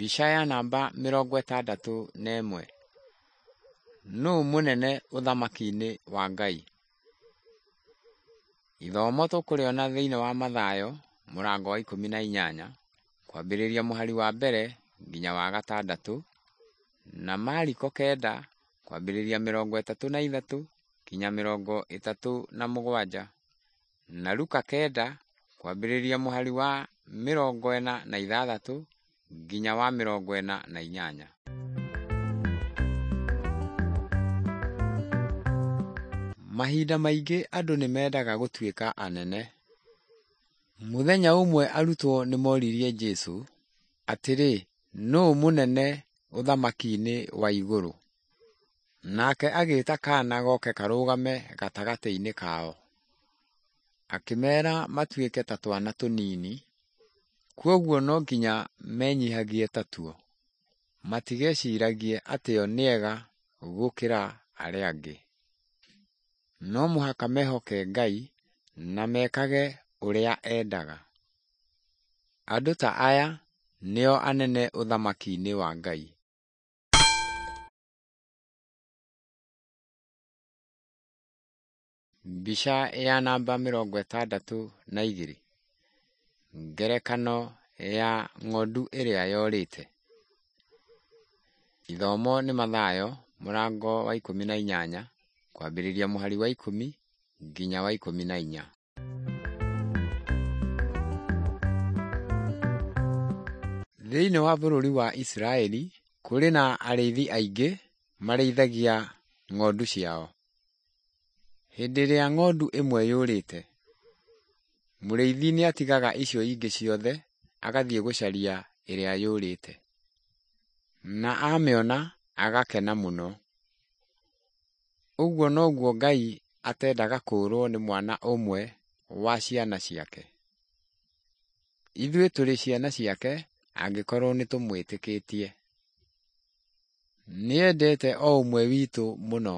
Mbica ya namba 61. Nũũ mũnene ũthamaki-inĩ wa Ngai? Ithomo tũkũrĩona thĩinĩ wa Mathayo mũrango wa 18 kwambĩrĩria mũhari wa mbere nginya wa gatandatũ, na Mariko 9 kwambĩrĩria 33 nginya 37, na Luka 9 kwambĩrĩria mũhari wa 46 nginya wa 48. Mahinda maingĩ andũ nĩ mendaga gũtuĩka anene. Mũthenya ũmwe arutwo nĩ moririe Jesu atĩrĩ, nũũ mũnene ũthamaki-inĩ wa igũrũ? Nake agĩta kaana goke karũgame gatagatĩ-inĩ kao. Akĩmera matuĩke ta twana tũnini, kwoguo no nginya menyihagie tatuo, matigeciragie atĩ o nĩega gũkĩra arĩa angĩ. No mũhaka mehoke Ngai na mekage ũrĩa endaga. Andũ ta aya nĩo anene ũthamaki-inĩ wa Ngai. Mbica ya namba 62. Ngerekano ya ng'ondu ĩrĩa yorĩte. Ithomo nĩ Mathayo mũrango wa 18 kwambĩrĩria mũhari wa 10 nginya wa 14. Thĩinĩ wa bũrũri wa Isiraeli kũrĩ na arĩithi aingĩ marĩithagia ng'ondu ciao. Hĩndĩ ĩrĩa ng'ondu ĩmwe yũrĩte, mũrĩithi nĩatigaga icio ingĩ ciothe agathiĩ gũcaria ĩrĩa yũrĩte. Na amĩona agakena mũno. Ũguo noguo Ngai atendaga kũũrwo nĩ mwana ũmwe wa ciana ciake. Ithuĩ tũrĩ ciana ciake angĩkorwo nĩ tũmwĩtĩkĩtie. Nĩendete o ũmwe witũ mũno,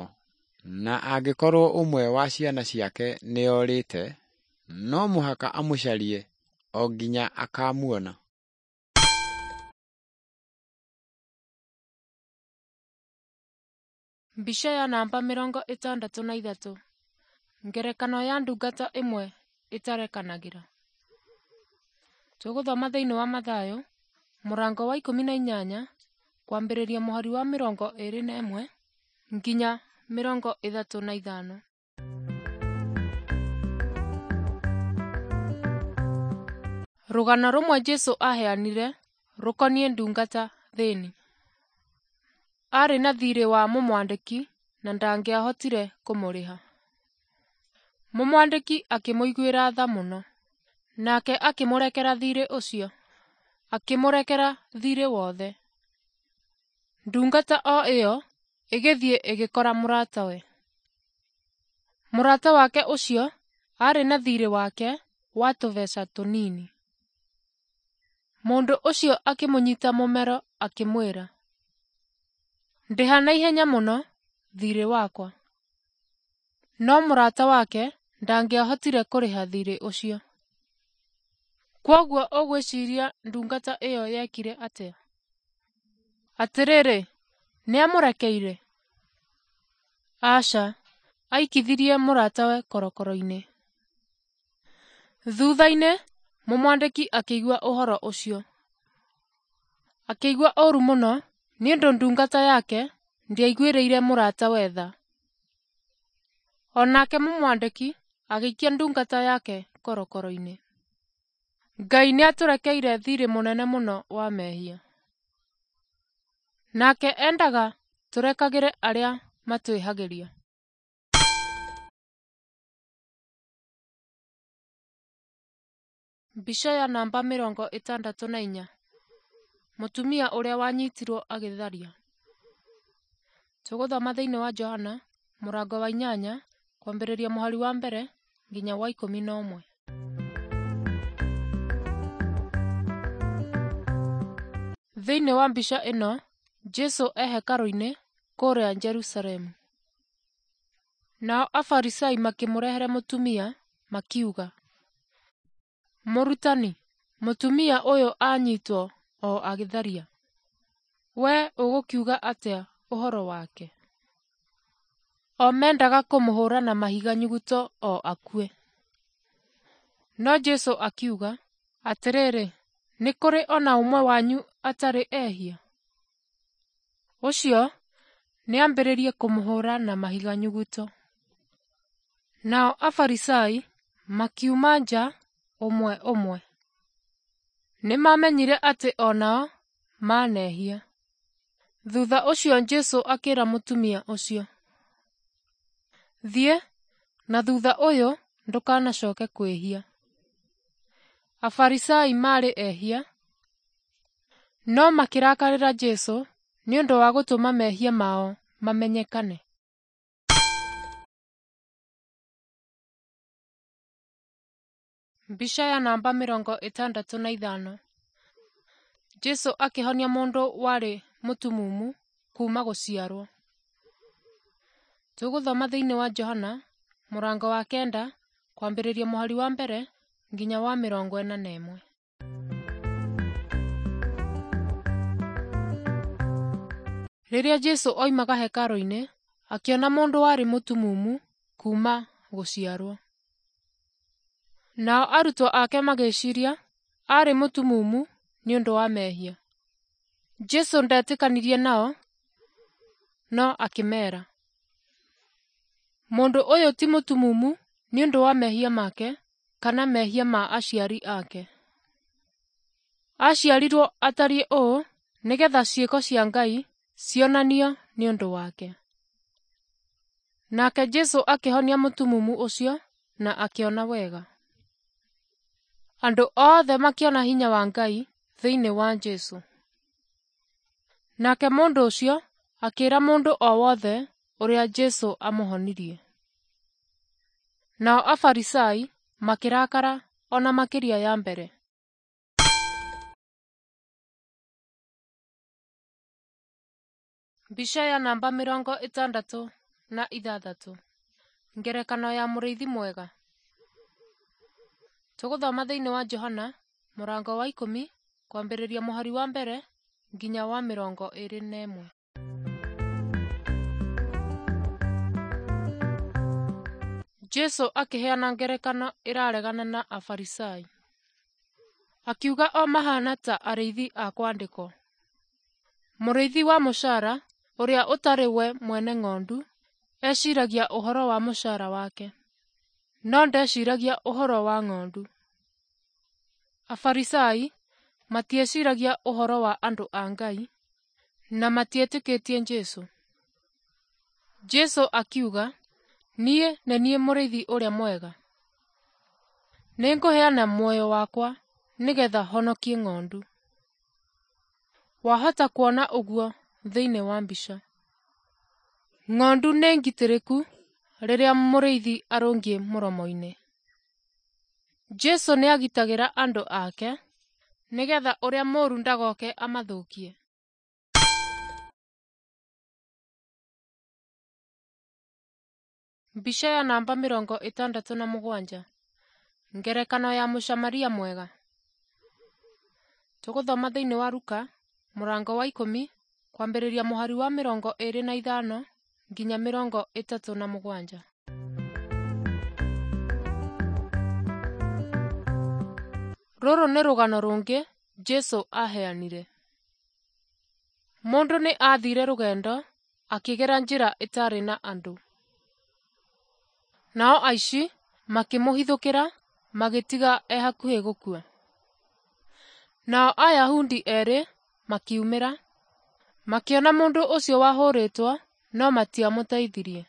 na angĩkorwo ũmwe wa ciana ciake nĩorĩte, no mũhaka amũcarie o nginya akamuona. Mbica ya namba 63. Ngerekano ya ndungata ĩmwe ĩtarekanagĩra. Tũgũthoma thĩinĩ wa Mathayo mũrango wa 18 kwambĩrĩria mũhari wa 21 nginya 35. Rũgano rũmwe Jesũ aheanire rũkoniĩ ndungata thĩni. Aarĩ na thiirĩ wa mũmwandĩki na ndangĩahotire kũmũrĩha. Mũmwandĩki akĩmũiguĩra tha mũno, nake akĩmũrekera thiirĩ ũcio, akĩmũrekera thiirĩ wothe. Ndungata o ĩyo ĩgĩthiĩ ĩgĩkora mũratawe. Mũrata wake ũcio aarĩ na thiirĩ wake wa tũbeca tũnini. Mũndũ ũcio akĩmũnyita mũmero akĩmwĩra, ndĩha na ihenya mũno thiirĩ wakwa. No mũrata wake ndangĩahotire kũrĩha thiirĩ ũcio. Kwoguo ũgwĩciria ndungata ĩyo yekire atĩa? Atĩrĩrĩ, nĩamũrekeire? Aca, aikithirie mũratawe korokoro-inĩ. Thutha-inĩ mũmwandĩki akĩigua ũhoro ũcio. Akĩigua ũũru mũno nĩ ũndũ ndungata yake ndĩaiguĩrĩire mũratawe tha. O nake mũmwandĩki agĩikia ndungata yake korokoro-inĩ. Ngai nĩatũrekeire thiirĩ mũnene mũno wa mehia. Nake endaga tũrekagĩre arĩa matwĩhagĩria. Mbica ya namba 64. Mũtumia ũrĩa wanyitirwo agĩtharia. Tũgũthoma thĩinĩ wa Johana mũrango wa 8 kwambĩrĩria mũhari wa mbere nginya wa 11. Thĩinĩ wa mbica ĩno Jesũ e hekarũ-inĩ kũrĩa Jerusalemu. Nao Afarisai makĩmũrehere mũtumia makiuga, Mũrutani, mũtumia ũyũ anyitwo o agĩtharia. Wee ũgũkiuga atĩa ũhoro wake?" O mendaga kũmũhũũra na mahiga nyuguto o akue. No Jesũ akiuga, "Atĩrĩrĩ, nĩ kũrĩ o na ũmwe wanyu atarĩ ehia? Ũcio nĩambĩrĩrie kũmũhũũra na mahiga nyuguto." Nao Afarisai makiuma nja ũmwe ũmwe. Nĩmamenyire atĩ o nao manehia. Thutha ũcio Jesũ akĩra mũtumia ũcio, "Thiĩ, na thutha ũyũ ndũkanacoke kwĩhia." Afarisai maarĩ ehia, no makĩrakarĩra Jesũ nĩ ũndũ wa gũtũma mehia mao mamenyekane. Mbica ya namba 65. Jesũ akĩhonia mũndũ warĩ mũtumumu kuuma gũciarwo. Tũgũthoma thĩinĩ wa Johana mũrango wa 9 kwambĩrĩria mũhari wa 1 nginya wa 41. Rĩrĩa Jesũ oimaga hekarũ-inĩ, akĩona mũndũ warĩ mũtumumu kuuma gũciarwo. Nao arutwo ake magĩciiria aarĩ mũtumumu nĩ ũndũ wa mehia. Jesũ ndetĩkanirie nao, no akĩmeera, "Mũndũ ũyũ ti mũtumumu nĩ ũndũ wa mehia make kana mehia ma aciari ake. Aaciarirwo atariĩ ũũ nĩgeetha ciĩko cia Ngai cionanio nĩ ũndũ wake." Nake Jesũ akĩhonia mũtumumu ũcio na akĩona wega. Andũ othe makĩona hinya wa Ngai thĩinĩ wa Jesũ. Nake mũndũ ũcio akĩĩra mũndũ o wothe ũrĩa Jesũ amũhonirie. Nao Afarisai makĩrakara o na makĩria ya mbere. Mbica ya namba 66. Ngerekano ya mũrĩithi mwega. Tũgũthoma thĩinĩ wa Johana mũrango wa 10 kwambĩrĩria mũhari wa 1 nginya wa 21. Jesũ akĩheana ngerekano ĩraregana na Afarisai. Akiuga o mahana ta arĩithi a kwandĩkwo. Mũrĩithi wa mũcara ũrĩa ũtarĩ we mwene ng'ondu eciragia ũhoro wa mũcara wake, no ndeciragia ũhoro wa ng'ondu. Afarisai matieciragia ũhoro wa andũ a Ngai na matietĩkĩtie Jesũ. Jesũ akiuga, "Niĩ nĩ niĩ mũrĩithi ũrĩa mwega. Nĩngũheana muoyo wakwa nĩgeetha honokie ng'ondu." Wahota kuona ũguo thĩinĩ wa mbica. Ng'ondu nĩ ngitĩrĩku rĩrĩa mũrĩithi arũngiĩ mũromo-inĩ. Jesũ nĩagitagĩra andũ ake nĩgeetha ũrĩa mũũru ndagoke amathũkie. Mbica ya namba 67. Ngerekano ya Mũsamaria mwega. Tũgũthoma thĩinĩ wa Luka mũrango wa 10 kwambĩrĩria mũhari wa 25 nginya 37. Rũrũ nĩ rũgano rũngĩ Jesũ aaheanire. Mũndũ nĩ aathire rũgendo akĩgera njĩra ĩtarĩ na andũ. Nao aici makĩmũhithũkĩra magĩtiga e hakuhĩ gũkua. Nao Ayahudi erĩ makiumĩra, makĩona mũndũ ũcio wahũrĩtwo no matiamũteithirie.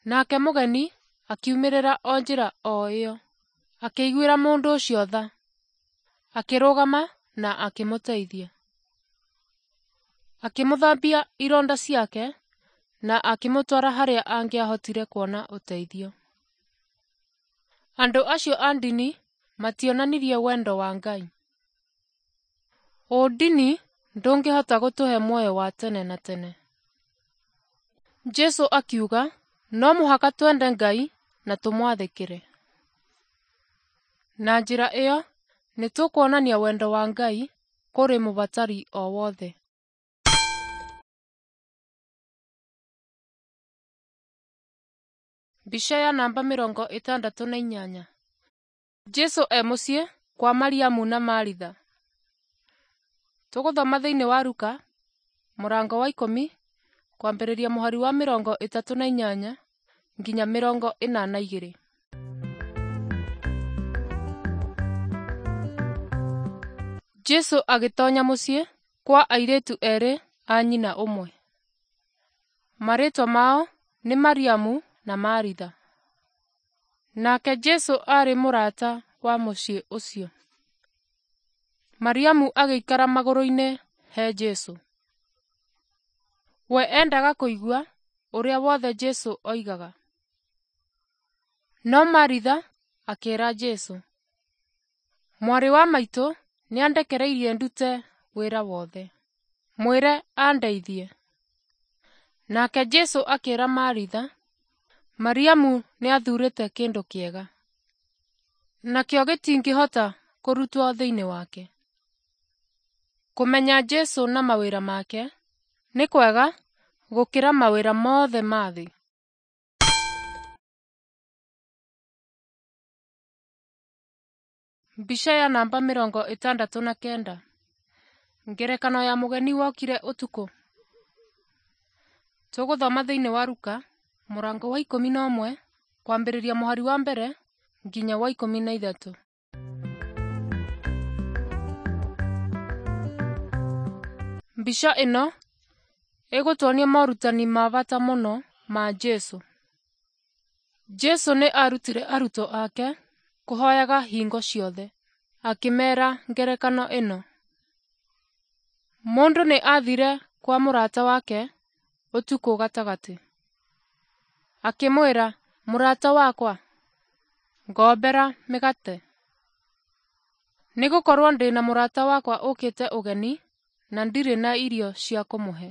Nake mũgeni akiumĩrĩra o njĩra o ĩyo, akĩiguĩra mũndũ ũcio tha, akĩrũgama na akĩmũteithia. Akĩmũthambia ironda ciake na akĩmũtwara harĩa angĩahotire kuona ũteithio. Andũ acio a ndini mationanirie wendo wa Ngai. Ũndini ndũngĩhota gũtũhe muoyo wa tene na tene. Jesũ akiuga no mũhaka twende Ngai na tũmwathĩkĩre. Na njĩra ĩyo nĩtũkuonania wendo wa Ngai kũrĩ mũbatari o wothe. Mbica ya namba 68. Jesũ e mũciĩ kwa Mariamu na Maritha. Tũgũthoma thĩinĩ wa Luka mũrango wa 10 kwambĩrĩria mũhari wa 38 nginya 42. Jesũ agĩtonya mũciĩ kwa airĩtu erĩ a nyina ũmwe. Marĩtwa mao nĩ Mariamu na Maritha. Nake Jesũ aarĩ mũrata wa mũciĩ ũcio. Mariamu agĩikara magũrũ-inĩ he Jesũ. We endaga kũigua ũrĩa wothe Jesũ oigaga. No Maritha akĩĩra Jesũ, “Mwarĩ wa maitũ nĩandekereirie ndute wĩra wothe. Mwĩre andeithie.” Nake Jesũ akĩĩra Maritha, “Mariamu nĩathuurĩte kĩndũ kĩega, nakĩo gĩtingĩhota kũrutwo thĩinĩ wake.” Kũmenya Jesũ na mawĩra make nĩ kwega gũkĩra mawĩra mothe ma thĩ. Mbica ya namba 69. Ngerekano ya mũgeni wokire ũtukũ. Tũgũthoma thĩinĩ wa Luka mũrango wa 11 kwambĩrĩria mũhari wa 1 nginya wa 13. Mbica ĩno ĩgũtuonia morutani ma bata mũno ma Jesũ. Jesũ nĩ arutire arutwo ake kũhoyaga hingo ciothe. Akĩmeera ngerekano ĩno: Mũndũ nĩ aathire kwa mũrata wake ũtukũ gatagatĩ, akĩmwĩra, ‘Mũrata wakwa, ngombera mĩgate, nĩgũkorwo ndĩ na mũrata wakwa ũkĩte ũgeni na ndirĩ na irio cia kũmũhe.’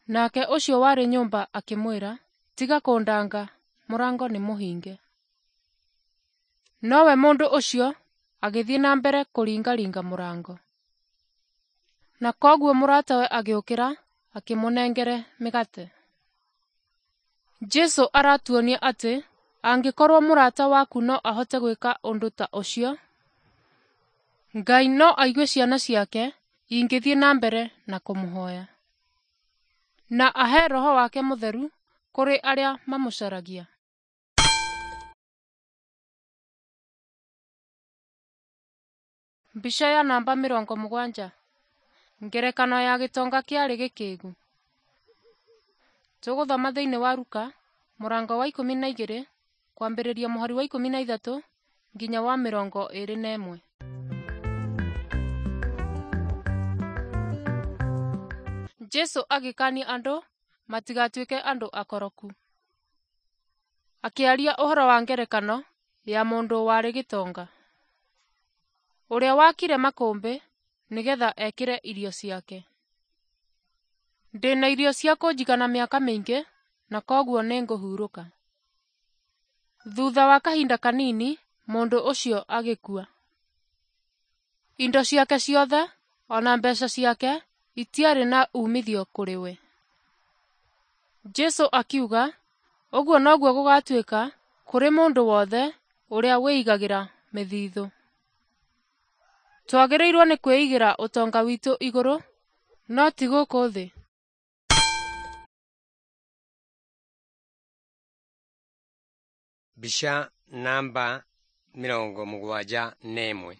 Nake ũcio warĩ nyũmba akĩmwĩra, ‘Tiga kũndanga, mũrango nĩ mũhinge.’ Nowe mũndũ ũcio agĩthiĩ na mbere kũringaringa mũrango. Na kwoguo mũratawe agĩũkĩra akĩmũnengere mĩgate. Jesũ aratuonia atĩ angĩkorwo mũrata waku no ahote gwĩka ũndũ ta ũcio, Ngai no aigue ciana ciake ingĩthiĩ na mbere na kũmũhoya, na ahe Roho wake Mũtheru kũrĩ arĩa mamũcaragia. Mbica ya namba 70. Ngerekano ya gĩtonga kĩarĩ gĩkĩgu. Tũgũthoma thĩinĩ wa Luka mũrango wa 12 kwambĩrĩria mũhari wa 13 nginya wa 21. Jesũ agĩkania andũ matigatuĩke andũ akoroku. Akĩaria ũhoro wa ngerekano ya mũndũ warĩ gĩtonga, ũrĩa wakire makũmbĩ nĩgetha ekĩre irio ciake. Ndĩna irio cia kũnjigana mĩaka mĩingĩ na kwoguo nĩngũhurũka. Thutha wa kahinda kanini mũndũ ũcio agĩkua. Indo ciake ciothe ona mbeca ciake itiarĩ na umithio kũrĩ we. Jesũ akiuga ũguo noguo gũgatuĩka kũrĩ mũndũ wothe ũrĩa wĩigagĩra mĩthithũ. Twagĩrĩirwo nĩ kwĩigĩra ũtonga witũ igũrũ no ti gũkũ thĩ. Mbica namba 71.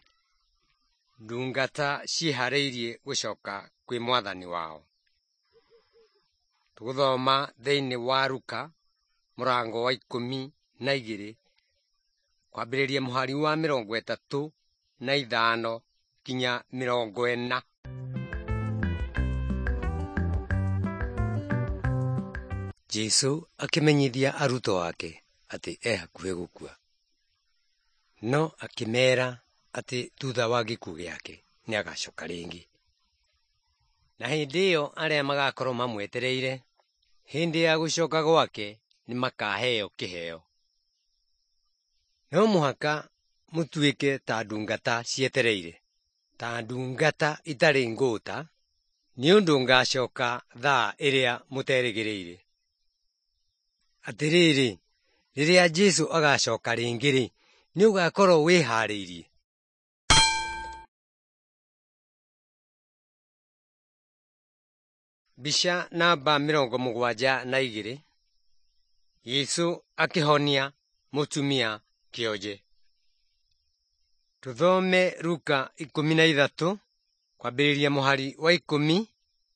Ndungata ciĩharĩirie gũcoka kwĩ mwathani wao. Tũgũthoma thĩinĩ wa Luka mũrango wa 12 kwambĩrĩria mũhari wa 35 nginya 40. Jesũ akĩmenyithia arutwo ake atĩ e hakuhĩ gũkua, no akĩmeera atĩ thutha wa gĩkuũ gĩake nĩagacoka rĩngĩ. Na hĩndĩ ĩyo arĩa magakorwo mamwetereire hĩndĩ ya gũcoka gwake nĩmakaheo kĩheo. No mũhaka mũtuĩke ta ndungata cietereire. ta ndungata itarĩ ngũũta, nĩ ũndũ ngaacoka thaa ĩrĩa mũterĩgĩrĩire. Atĩrĩrĩ, rĩrĩa Jesũ agaacoka rĩngĩ-rĩ, nĩ ũgaakorwo wĩhaarĩirie? Mbica namba 72. Jesũ akĩhonia mũtumia kĩonje. Tũthome Luka 13 kwambĩrĩria mũhari wa 10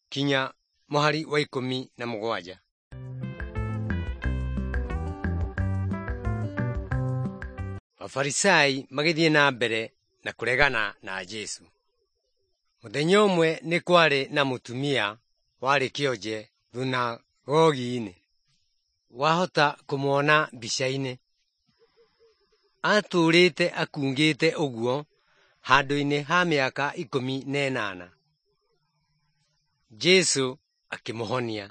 kinya mũhari wa 17. Afarisai magĩthiĩ na mbere na kũregana na Jesũ. Mũthenya ũmwe nĩ kwarĩ na mũtumia warĩ kĩonje thunagogi-inĩ. Wahota kũmuona mbica-inĩ. Atũũrĩte akungĩte ũguo handũ-inĩ ha mĩaka 18. Jesũ akĩmũhonia.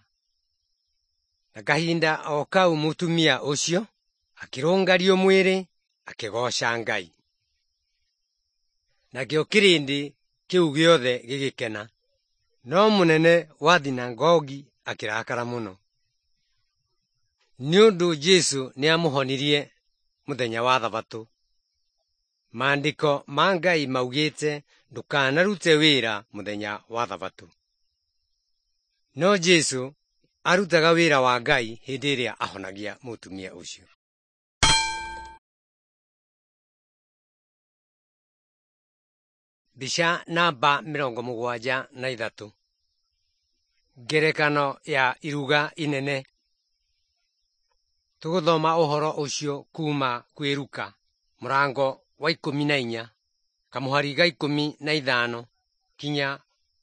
Na kahinda o kau mũtumia ũcio akĩrũngario mwĩrĩ akĩgooca Ngai. Nakĩo kĩrĩndĩ kĩu gĩothe gĩgĩkena. No mũnene wa thunagogi akĩrakara mũno nĩ ũndũ Jesũ nĩamũhonirie mũthenya wa Thabatũ. Maandĩko ma Ngai maugĩte ndũkanarute wĩra mũthenya wa Thabatũ. No Jesũ arutaga wĩra wa Ngai hĩndĩ ĩrĩa ahonagia mũtumia ũcio. Mbica namba 73. Ngerekano ya iruga inene. Tũgũthoma ũhoro ũcio kuma kwĩ Luka mũrango wa 14 kamũhari ga 15 kinya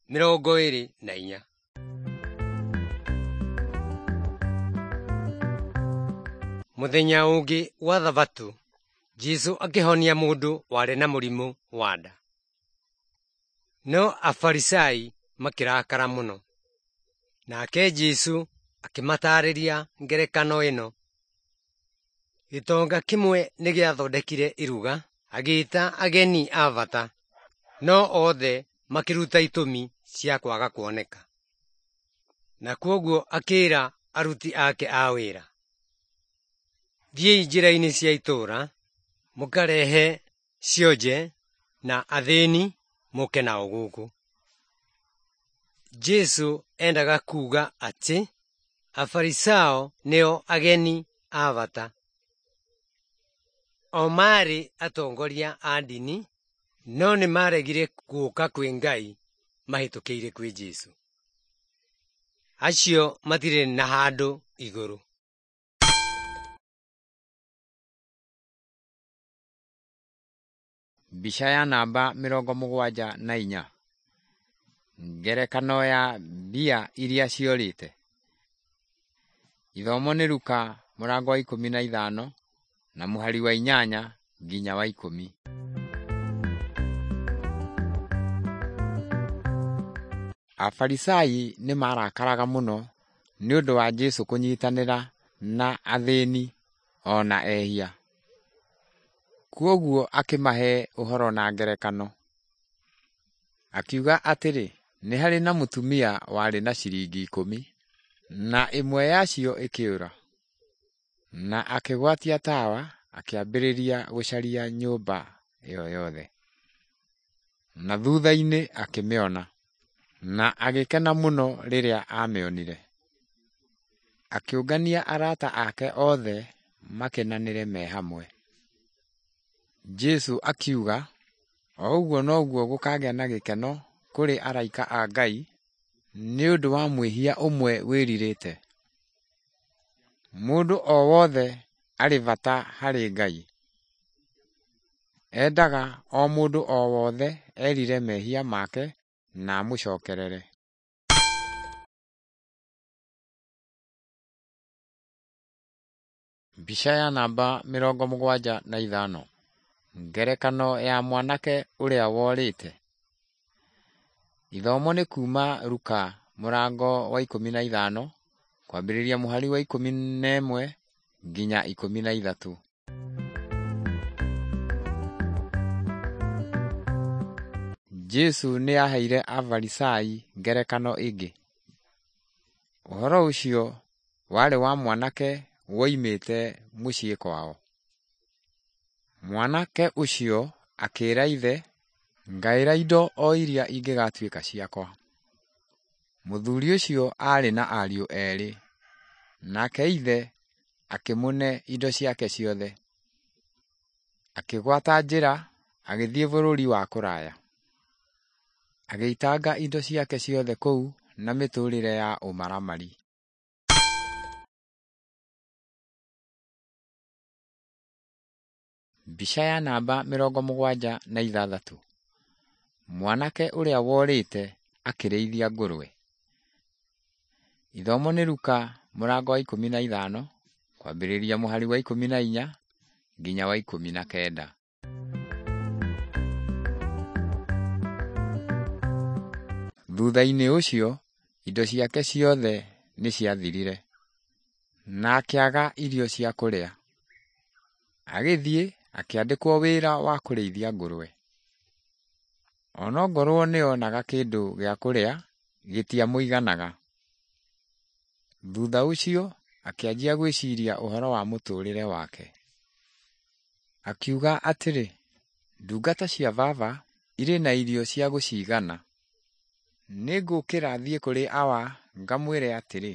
24. Mũthenya ũngĩ wa Thabatũ, Jesũ akĩhonia mũndũ warĩ na mũrimũ wa nda. No Afarisai makĩrakara mũno. Nake Jesũ akĩmataarĩria ngerekano ĩno. Gĩtonga kĩmwe nĩgĩathondekire iruga, agĩĩta ageni a bata, no othe makĩruta itũmi cia kwaga kuoneka. Na kwoguo akĩĩra aruti ake a wĩra, thiĩi njĩra-inĩ cia itũũra, mũkarehe cionje na athĩni mũke nao gũkũ. Jesũ endaga kuuga atĩ Afarisao nĩo ageni a bata. O maarĩ atongoria a ndini, no nĩmaregire gũũka kwĩ Ngai mahĩtũkĩire kwĩ Jesũ. Acio matirĩ na handũ igũrũ. Mbica ya namba 74. Ngerekano ya mbia iria ciorĩte. Ithomo nĩ Luka mũrango wa 15 na mũhari wa 8 nginya wa 10. Afarisai nĩ marakaraga mũno nĩ ũndũ wa Jesũ kũnyitanĩra na athĩni o na ehia. Kwoguo akĩmahe ũhoro na ngerekano. Akiuga atĩrĩ, nĩ harĩ na mũtumia warĩ na ciringi 10, na ĩmwe yacio ĩkĩũra. Na akĩgwatia tawa akĩambĩrĩria gũcaria nyũmba ĩyo yothe. Na thutha-inĩ akĩmĩona, na agĩkena mũno rĩrĩa aamĩonire. Akĩũngania arata ake othe makenanĩre me hamwe. Jesũ akiuga, o ũguo noguo gũkagĩa na gĩkeno kũrĩ araika a Ngai nĩ ũndũ wa mwĩhia ũmwe wĩrirĩte. Mũndũ o wothe arĩ bata harĩ Ngai. Endaga o mũndũ o wothe erire mehia make na amũcokerere. Mbica ya namba 75. Ngerekano ya mwanake ũrĩa worĩte. Ithomo nĩ kuma Luka mũrango wa 15 kwambĩrĩria mũhari wa 11 nginya 13. Jesũ nĩ aaheire Afarisai ngerekano ĩngĩ. Ũhoro ũcio warĩ wa mwanake woimĩte mũciĩ kwao. Mwanake ũcio akĩĩra ithe, "Ngaĩra indo o iria ingĩgatuĩka ciakwa." Mũthuri ũcio aarĩ na ariũ erĩ, nake ithe akĩmũne indo ciake ciothe. Akĩgwata njĩra agĩthiĩ bũrũri wa kũraya. Agĩitanga indo ciake ciothe kũu na mĩtũũrĩre ya ũmaramari. Mbica ya namba 76. Mwanake ũrĩa worĩte akĩrĩithia ngũrwe. Ithomo nĩ Luka mũrango wa 15 kwambĩrĩria mũhari wa 14 nginya wa 19. Thutha-inĩ ũcio indo ciake ciothe nĩ ciathirire, na akĩaga irio cia kũrĩa. Agĩthiĩ akĩandĩkwo wĩra wa kũrĩithia ngũrwe. Onongorwo nĩonaga kĩndũ gĩa kũrĩa gĩtiamũiganaga. Thutha ũcio akĩanjia gwĩciria ũhoro wa mũtũũrĩre wake. Akiuga atĩrĩ, ndungata cia baba irĩ na irio cia gũciigana. Nĩngũũkĩra thiĩ kũrĩ awa ngamwĩre atĩrĩ,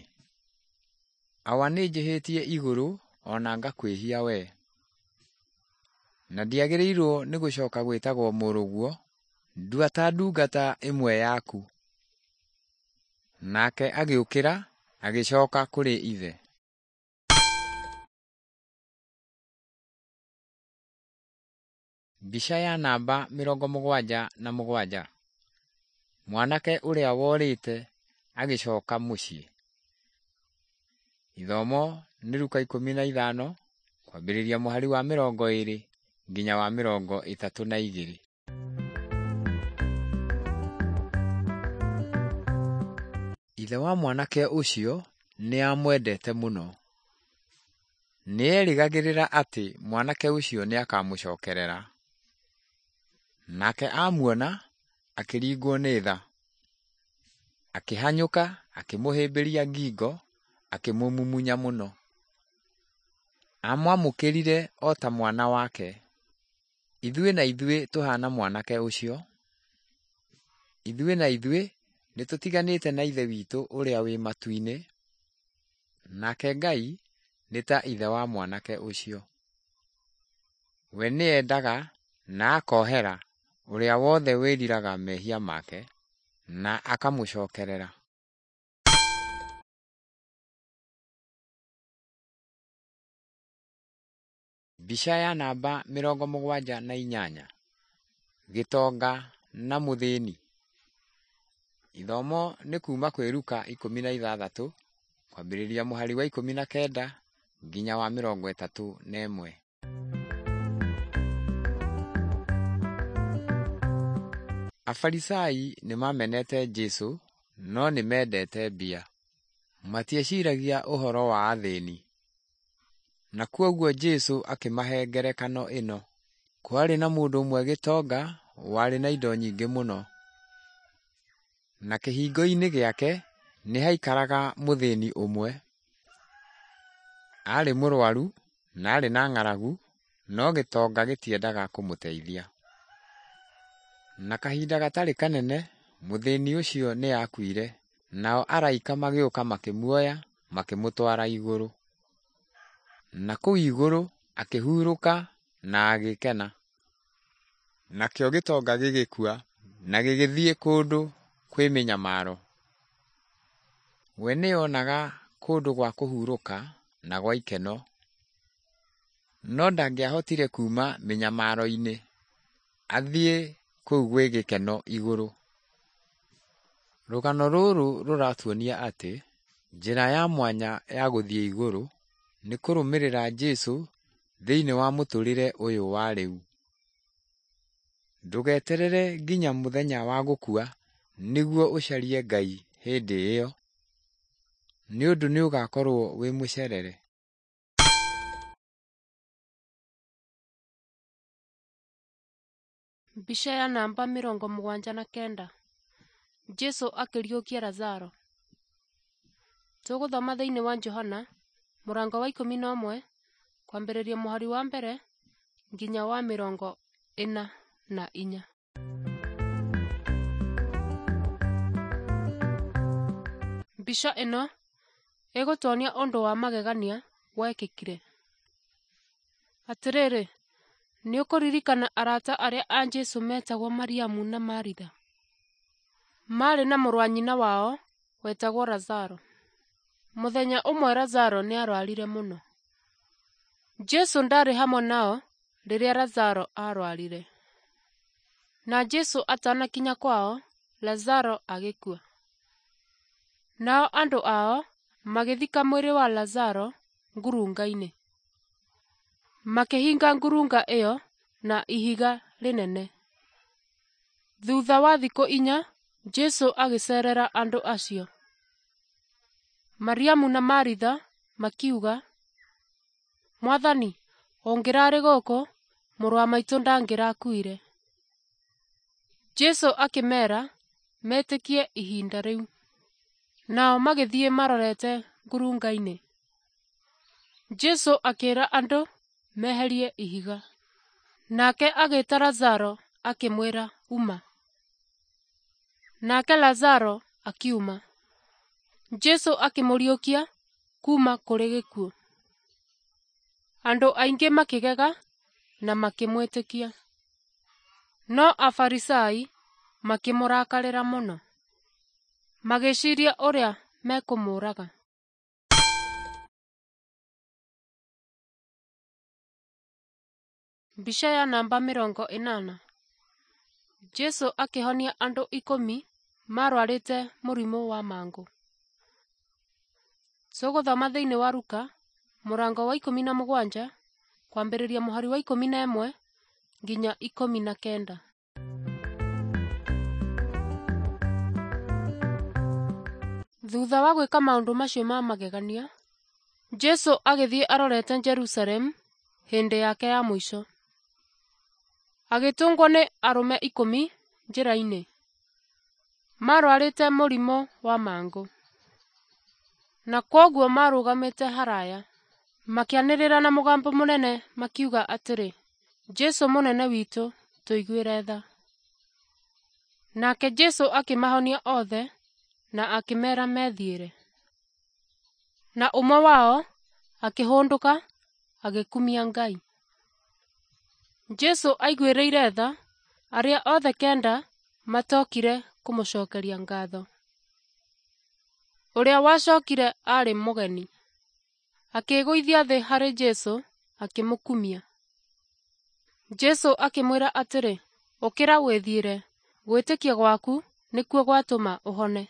Awa nĩnjĩhĩtie igũrũ o na ngakwĩhia wee. Na ndiagĩrĩirwo nĩ gũcoka gwĩtagwo mũrũguo, ndua ta ndungata ĩmwe yaku. Nake agĩũkĩra agĩcoka kũrĩ ithe. Mbica ya namba 77. Mwanake ũrĩa worĩte agĩcoka mũciĩ. Ithomo nĩ Luka 15 kwambĩrĩria mũhari wa 20 nginya wa 32. Ithe wa mwanake ũcio nĩ aamwendete mũno. Nĩ eerĩgagĩrĩra atĩ mwanake ũcio nĩ akamũcokerera. Nake amuona, akĩringwo nĩ tha. Akĩhanyũka akĩmũhĩmbĩria ngingo, akĩmũmumunya mũno. Aamwamũkĩrire o ta mwana wake. Ithuĩ na ithuĩ tũhaana mwanake ũcio. Ithuĩ na ithuĩ nĩtũtiganĩte na Ithe witũ ũrĩa wĩ matu-inĩ, nake Ngai nĩ ta ithe wa mwanake ũcio. We nĩendaga na akohera ũrĩa wothe wĩriraga mehia make na akamũcokerera. Mbica ya namba 78. Gĩtonga na mũthĩni. Ithomo nĩ kuma kwĩ Luka 16 kwambĩrĩria mũhari wa 19 nginya wa 31. Afarisai nĩmamenete Jesũ no nĩmendete mbia. Matieciragia ũhoro wa athĩni. Na kwoguo Jesũ akĩmahe ngerekano ĩno. Kwarĩ na mũndũ ũmwe gĩtonga warĩ na indo nyingĩ mũno. Na kĩhingo-inĩ gĩake nĩ haikaraga mũthĩni ũmwe. Aarĩ mũrwaru na aarĩ na ng'aragu, no gĩtonga gĩtiendaga kũmũteithia. Na kahinda gatarĩ kanene mũthĩni ũcio nĩ aakuire, nao araika magĩũka makĩmuoya makĩmũtwara igũrũ. Na kũu igũrũ akĩhurũka na agĩkena. Nakĩo gĩtonga gĩgĩkua na gĩgĩthiĩ kũndũ kwĩ mĩnyamaro. We nĩonaga kũndũ gwa kũhurũka na gwa ikeno, no ndangĩahotire kuuma mĩnyamaro-inĩ athiĩ kũu gwĩ gĩkeno igũrũ. Rũgano rũrũ rũratuonia atĩ njĩra ya mwanya ya gũthiĩ igũrũ nĩ kũrũmĩrĩra Jesũ thĩinĩ wa mũtũũrĩre ũyũ wa rĩu. Ndũgeterere nginya mũthenya wa gũkua nĩguo ũcarie Ngai hĩndĩ ĩyo, nĩ ũndũ nĩũgakorwo wĩ mũcerere. Mbica ya namba 79. Jesũ akĩriũkia Lazaro. Tũgũthoma thĩinĩ wa Johana mũrango wa 11 kwambĩrĩria mũhari wa mbere nginya wa 44. Mbica ĩno ĩgũtuonia ũndũ wa magegania wekĩkire. Atĩrĩrĩ, nĩ ũkũririkana arata arĩa a Jesũ metagwo Mariamu na Maritha? Maarĩ na mũrũ wa nyina wao wetagwo Lazaro. Mũthenya ũmwe Lazaro nĩarwarire mũno. Jesũ ndaarĩ hamwe nao rĩrĩa Lazaro aarwarire. Na Jesũ atanakinya kwao, Lazaro agĩkua. Nao andũ ao magĩthika mwĩrĩ wa Lazaro ngurunga-inĩ. Makĩhinga ngurunga ĩyo na ihiga rĩnene. Thutha wa thikũ 4, Jesũ agĩceerera andũ acio. Mariamu na Maritha makiuga, "Mwathani, ũngĩrarĩ gũkũ, mũrũ wa maitũ ndangĩrakuire." Jesũ akĩmeera metĩkie ihinda rĩu. Nao magĩthiĩ marorete ngurunga-inĩ. Jesũ akĩĩra andũ meherie ihiga. Nake agĩĩta Lazaro akĩmwĩra, "Uma." Nake Lazaro akiuma. Jesũ akĩmũriũkia kuuma kũrĩ gĩkuũ. Andũ aingĩ makĩgega na makĩmwĩtĩkia. No Afarisai makĩmũrakarĩra mũno, magĩciiria ũrĩa mekũmũũraga. Mbica ya namba 80. Jesũ akĩhonia andũ 10 marwarĩte mũrimũ wa mangũ. Tũgũthoma thĩinĩ wa Luka mũrango wa 17 kwambĩrĩria mũhari wa 11 nginya 19. Thutha wa gwĩka maũndũ macio ma magegania, Jesũ agĩthiĩ arorete Jerusalemu hĩndĩ yake ya mũico. Agĩtũngwo nĩ arũme 10 njĩra-inĩ. Marwarĩte mũrimũ wa mangũ. Na kwoguo marũgamĩte haraya, makĩanĩrĩra na mũgambo mũnene makiuga atĩrĩ, "Jesũ mũnene witũ, tũiguĩre tha." Nake Jesũ akĩmahonia othe na akĩmeera methiĩre. Na ũmwe wao akĩhũndũka agĩkumia Ngai. Jesũ aiguĩrĩire tha arĩa othe 9 matokire kũmũcokeria ngatho. Ũrĩa wacokire aarĩ mũgeni. Akĩĩgũithia thĩ harĩ Jesũ akĩmũkumia. Jesũ akĩmwĩra atĩrĩ, "Ũkĩra wĩthiĩre, gwĩtĩkia gwaku nĩkuo gwatũma ũhone."